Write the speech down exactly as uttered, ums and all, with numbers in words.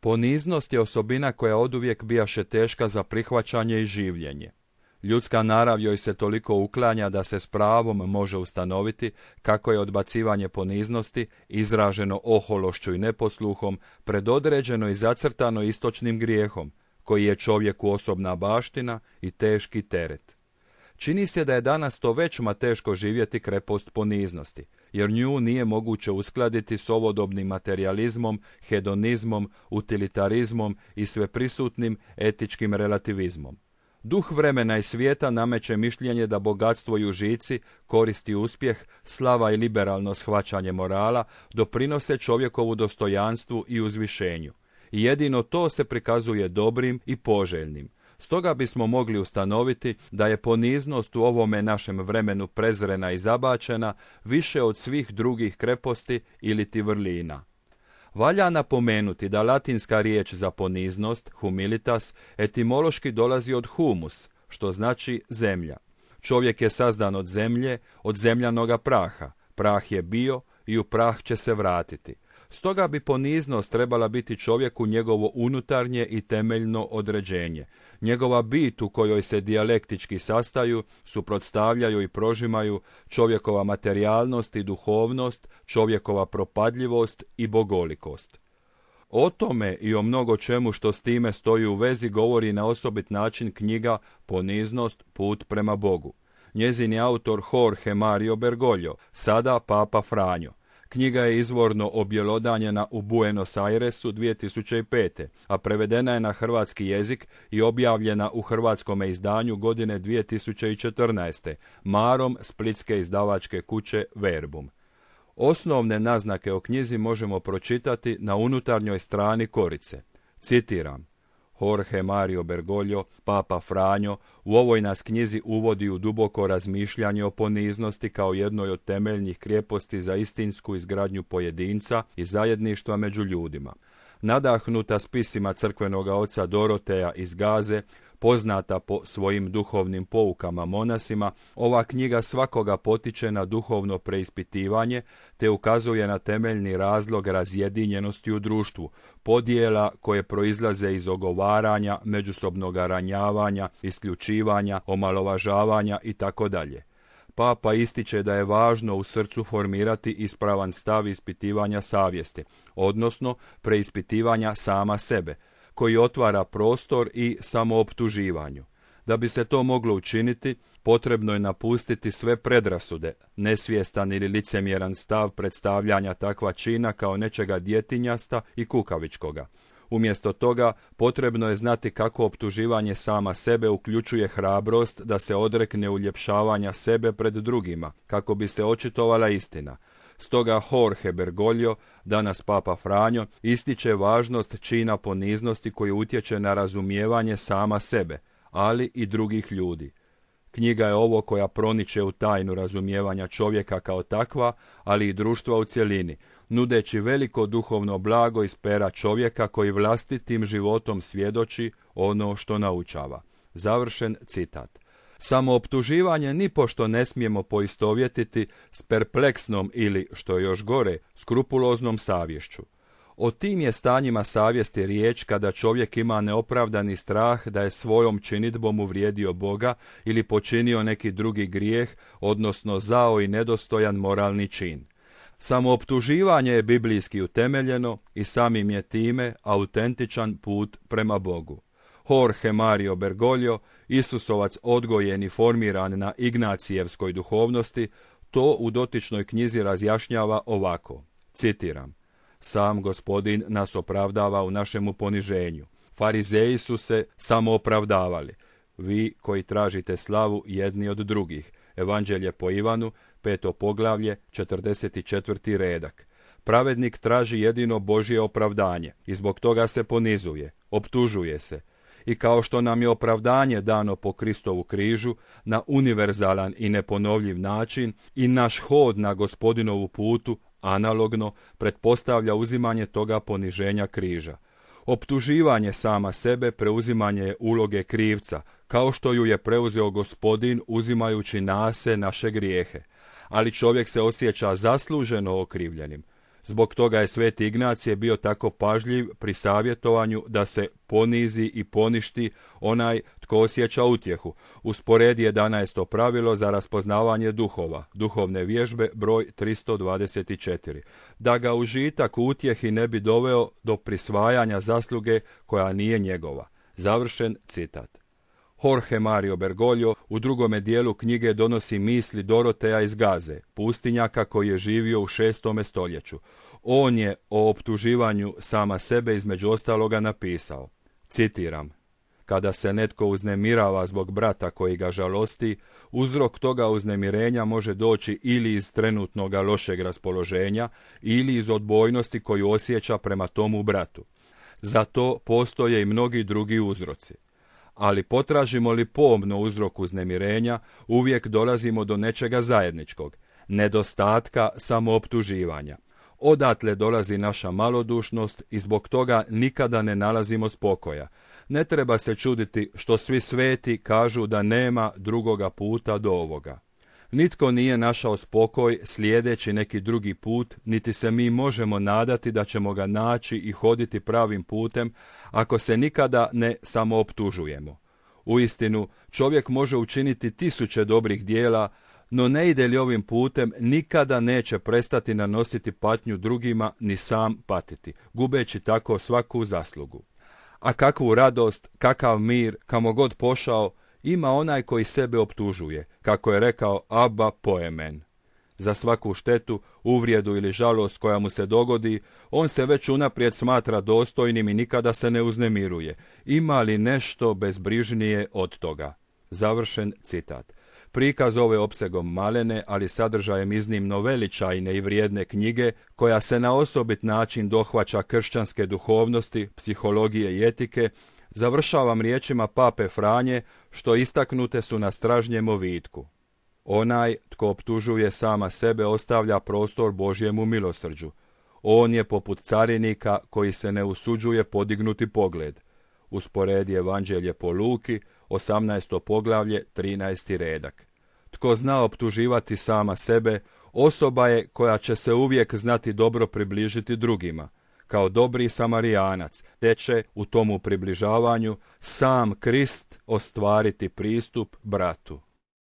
Poniznost je osobina koja oduvijek bijaše teška za prihvaćanje i življenje. Ljudska narav joj se toliko uklanja da se s pravom može ustanoviti kako je odbacivanje poniznosti, izraženo ohološću i neposluhom, predodređeno i zacrtano istočnim grijehom, koji je čovjeku osobna baština i teški teret. Čini se da je danas to većma teško živjeti krepost poniznosti, jer nju nije moguće uskladiti s ovodobnim materijalizmom, hedonizmom, utilitarizmom i sveprisutnim etičkim relativizmom. Duh vremena i svijeta nameće mišljenje da bogatstvo i užici, korist i uspjeh, slava i liberalno shvaćanje morala doprinose čovjekovu dostojanstvu i uzvišenju. I jedino to se prikazuje dobrim i poželjnim. Stoga bismo mogli ustanoviti da je poniznost u ovome našem vremenu prezrena i zabačena više od svih drugih kreposti iliti vrlina. Valja napomenuti da latinska riječ za poniznost, humilitas, etimološki dolazi od humus, što znači zemlja. Čovjek je sazdan od zemlje, od zemljanoga praha. Prah je bio i u prah će se vratiti. Stoga bi poniznost trebala biti čovjeku njegovo unutarnje i temeljno određenje. Njegova bit u kojoj se dijalektički sastaju, suprotstavljaju i prožimaju čovjekova materijalnost i duhovnost, čovjekova propadljivost i bogolikost. O tome i o mnogo čemu što s time stoji u vezi govori na osobit način knjiga Poniznost, put prema Bogu. Njezin je autor Jorge Mario Bergoglio, sada Papa Franjo. Knjiga je izvorno objelodanjena u Buenos Airesu dvije tisuće pete. a prevedena je na hrvatski jezik i objavljena u hrvatskome izdanju godine dvije tisuće četrnaeste. marom splitske izdavačke kuće Verbum. Osnovne naznake o knjizi možemo pročitati na unutarnjoj strani korice. Citiram: Jorge Mario Bergoglio, Papa Franjo, u ovoj nas knjizi uvodi u duboko razmišljanje o poniznosti kao jednoj od temeljnih krijeposti za istinsku izgradnju pojedinca i zajedništva među ljudima. Nadahnuta spisima crkvenoga oca Doroteja iz Gaze, poznata po svojim duhovnim poukama monasima, ova knjiga svakoga potiče na duhovno preispitivanje te ukazuje na temeljni razlog razjedinjenosti u društvu, podjela koje proizlaze iz ogovaranja, međusobnog ranjavanja, isključivanja, omalovažavanja itd. Papa ističe da je važno u srcu formirati ispravan stav ispitivanja savjesti, odnosno preispitivanja sama sebe, koji otvara prostor i samooptuživanju. Da bi se to moglo učiniti, potrebno je napustiti sve predrasude, nesvjestan ili licemjeran stav predstavljanja takva čina kao nečega djetinjasta i kukavičkoga. Umjesto toga, potrebno je znati kako optuživanje sama sebe uključuje hrabrost da se odrekne uljepšavanja sebe pred drugima, kako bi se očitovala istina. Stoga Jorge Bergoglio, danas Papa Franjo, ističe važnost čina poniznosti koji utječe na razumijevanje sama sebe, ali i drugih ljudi. Knjiga je ovo koja proniče u tajnu razumijevanja čovjeka kao takva, ali i društva u cjelini, nudeći veliko duhovno blago iz pera čovjeka koji vlastitim životom svjedoči ono što naučava. Završen citat. Samooptuživanje nipošto ne smijemo poistovjetiti s perpleksnom ili, što je još gore, skrupuloznom savješću. O tim je stanjima savjesti riječ kada čovjek ima neopravdani strah da je svojom činidbom uvrijedio Boga ili počinio neki drugi grijeh, odnosno zao i nedostojan moralni čin. Samooptuživanje je biblijski utemeljeno i samim je time autentičan put prema Bogu. Jorge Mario Bergoglio, Isusovac odgojen i formiran na Ignacijevskoj duhovnosti, to u dotičnoj knjizi razjašnjava ovako, citiram: Sam Gospodin nas opravdava u našemu poniženju. Farizeji su se samo opravdavali. Vi koji tražite slavu jedni od drugih. Evanđelje po Ivanu, peto poglavlje, četrdeset četvrti redak. Pravednik traži jedino Božje opravdanje i zbog toga se ponizuje, optužuje se. I kao što nam je opravdanje dano po Kristovu križu na univerzalan i neponovljiv način, i naš hod na Gospodinovu putu analogno pretpostavlja uzimanje toga poniženja križa. Optuživanje sama sebe preuzimanje je uloge krivca, kao što ju je preuzeo Gospodin uzimajući na se naše grijehe. Ali čovjek se osjeća zasluženo okrivljenim. Zbog toga je sveti Ignacije bio tako pažljiv pri savjetovanju da se ponizi i poništi onaj tko osjeća utjehu. Usporedi jedanaesto pravilo za raspoznavanje duhova, duhovne vježbe broj tristo dvadeset četiri, da ga užitak u utjehi ne bi doveo do prisvajanja zasluge koja nije njegova. Završen citat. Jorge Mario Bergoglio u drugome dijelu knjige donosi misli Doroteja iz Gaze, pustinjaka koji je živio u šestome stoljeću. On je o optuživanju sama sebe između ostaloga napisao, citiram: kada se netko uznemirava zbog brata koji ga žalosti, uzrok toga uznemirenja može doći ili iz trenutnoga lošeg raspoloženja ili iz odbojnosti koju osjeća prema tomu bratu. Za to postoje i mnogi drugi uzroci. Ali potražimo li pomno uzrok uznemirenja, uvijek dolazimo do nečega zajedničkog, nedostatka samooptuživanja. Odatle dolazi naša malodušnost i zbog toga nikada ne nalazimo spokoja. Ne treba se čuditi što svi sveti kažu da nema drugoga puta do ovoga. Nitko nije našao spokoj slijedeći neki drugi put, niti se mi možemo nadati da ćemo ga naći i hoditi pravim putem ako se nikada ne samooptužujemo. Uistinu, čovjek može učiniti tisuće dobrih dijela, no ne ide li ovim putem, nikada neće prestati nanositi patnju drugima ni sam patiti, gubeći tako svaku zaslugu. A kakvu radost, kakav mir, kamo god pošao, ima onaj koji sebe optužuje, kako je rekao Abba Poemen. Za svaku štetu, uvrijedu ili žalost koja mu se dogodi, on se već unaprijed smatra dostojnim i nikada se ne uznemiruje. Ima li nešto bezbrižnije od toga? Završen citat. Prikaz ove opsegom malene, ali sadržajem iznimno veličajne i vrijedne knjige, koja se na osobit način dohvaća kršćanske duhovnosti, psihologije i etike, završavam riječima pape Franje, što istaknute su na stražnjem ovitku. Onaj tko optužuje sama sebe ostavlja prostor Božjemu milosrđu. On je poput carinika koji se ne usuđuje podignuti pogled. Usporedi Evanđelje po Luki, osamnaesto poglavlje, trinaesti redak. Tko zna optuživati sama sebe, osoba je koja će se uvijek znati dobro približiti drugima. Kao dobri Samarijanac, te će u tomu približavanju sam Krist ostvariti pristup bratu.